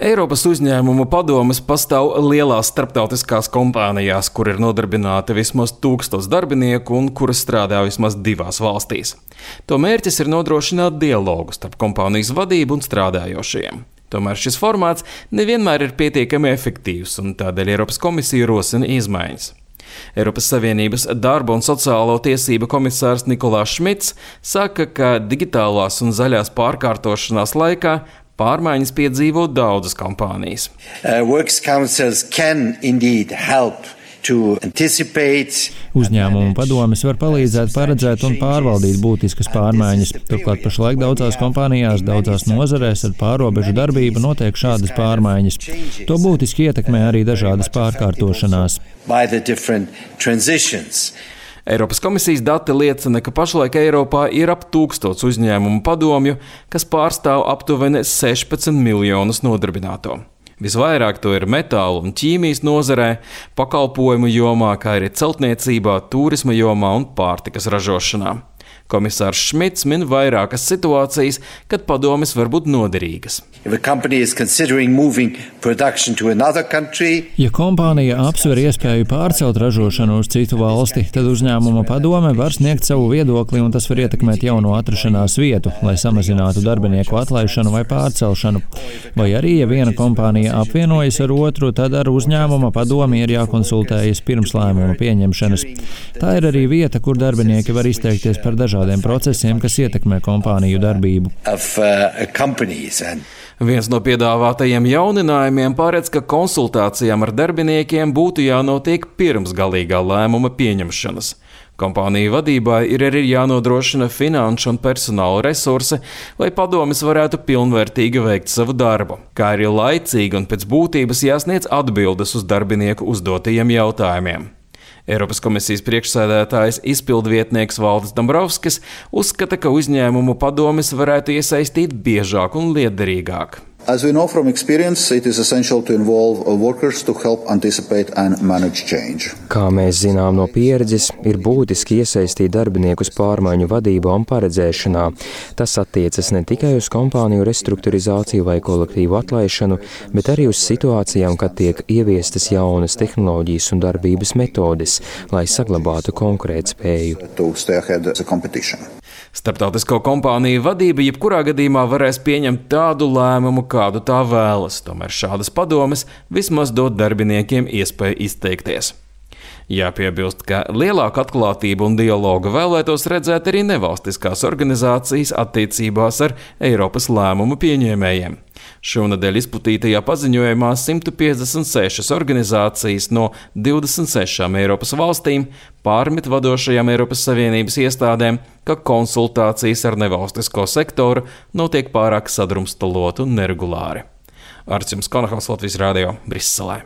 Eiropas uzņēmumu padomes pastāv lielās starptautiskās kompānijās, kur ir nodarbināti vismaz 1000 darbinieku un kuras strādā vismaz 2 valstīs. To mērķis ir nodrošināt dialogu starp kompānijas vadību un strādājošajiem. Tomēr šis formāts nevienmēr ir pietiekami efektīvs, un tādēļ Eiropas komisija rosina izmaiņas. Eiropas Savienības darba un sociālo tiesību komisārs Nikolās Šmits saka, ka digitālās un zaļās pārkārtošanās laikā pārmaiņas piedzīvo daudzas kompānijas. Uzņēmumu padomes var palīdzēt paredzēt un pārvaldīt būtiskas pārmaiņas. Turklāt pašlaik daudzās kompānijās, daudzās nozarēs ar pārrobežu darbību notiek šādas pārmaiņas. To būtiski ietekmē arī dažādas pārkārtošanās. Eiropas komisijas dati liecina, ka pašlaik Eiropā ir ap 1000 uzņēmumu padomju, kas pārstāv aptuveni 16 miljonus nodarbināto. Visvairāk to ir metāla un ķīmijas nozarē, pakalpojumu jomā, kā arī celtniecībā, turisma jomā un pārtikas ražošanā. Komisārs Šmits min vairākas situācijas, kad padomes var būt noderīgas. Ja kompānija apsver iespēju pārcelt ražošanu uz citu valsti, tad uzņēmuma padome var sniegt savu viedokli un tas var ietekmēt jauno atrašanās vietu, lai samazinātu darbinieku atlaišanu vai pārcelšanu. Vai arī, ja viena kompānija apvienojas ar otru, tad ar uzņēmuma padomi ir jākonsultējas pirms lēmuma pieņemšanas. Tā ir arī vieta, kur darbinieki var izteikties par dažādiem procesiem, kas ietekmē kompāniju darbību. Viens no piedāvātajiem jauninājumiem paredz, ka konsultācijām ar darbiniekiem būtu jānotiek pirms galīgā lēmuma pieņemšanas. Kompāniju vadībai ir arī jānodrošina finanšu un personāla resursi, lai padomes varētu pilnvērtīgi veikt savu darbu, kā arī laicīgi un pēc būtības jāsniedz atbildes uz darbinieku uzdotajiem jautājumiem. Eiropas komisijas priekšsēdētājs izpildvietnieks Valdis Dombrovskis uzskata, ka uzņēmumu padomes varētu iesaistīt biežāk un lietderīgāk. As we know from experience, it is essential to involve workers to help anticipate and manage change. Kā mēs zinām no pieredzes, ir būtiski iesaistīt darbiniekus pārmaiņu vadībā un paredzēšanā. Tas attiecas ne tikai uz kompāniju restruktūrizāciju vai kolektīvu atlaišanu, bet arī uz situācijām, kad tiek ieviestas jaunas tehnoloģijas un darbības metodes, lai saglabātu konkurētspēju. Starptautisko kompāniju vadība jebkurā gadījumā varēs pieņemt tādu lēmumu, kādu tā vēlas, tomēr šādas padomes vismaz dod darbiniekiem iespēju izteikties. Jāpiebilst, ka lielāku atklātību un dialogu vēlētos redzēt arī nevalstiskās organizācijas attiecībās ar Eiropas lēmumu pieņēmējiem. Šonadēļ izplatītajā paziņojumā 156 organizācijas no 26 Eiropas valstīm pārmet vadošajām Eiropas Savienības iestādēm, ka konsultācijas ar nevalstisko sektoru notiek pārāk sadrumstaloti un neregulāri. Arčuns Konahals, Latvijas Radio, Briselē.